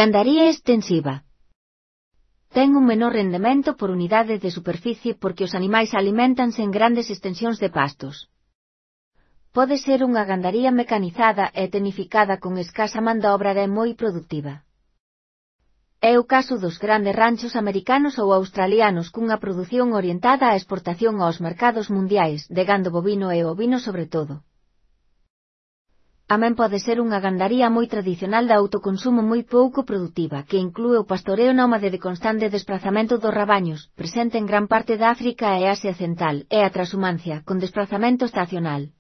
Gandaría extensiva. Ten un menor rendemento por unidade de superficie porque os animais aliméntanse en grandes extensións de pastos. Pode ser unha gandaría mecanizada e tecnificada con escasa man de obra e moi productiva. É o caso dos grandes ranchos americanos ou australianos cunha produción orientada á exportación aos mercados mundiais de gando bovino e ovino sobre todo. Tamén pode ser unha gandaría moi tradicional de autoconsumo moi pouco produtiva que inclúe o pastoreo nómade de constante desprazamento dos rabaños, presente en gran parte de África e Asia Central, e a transhumancia, con desprazamento estacional.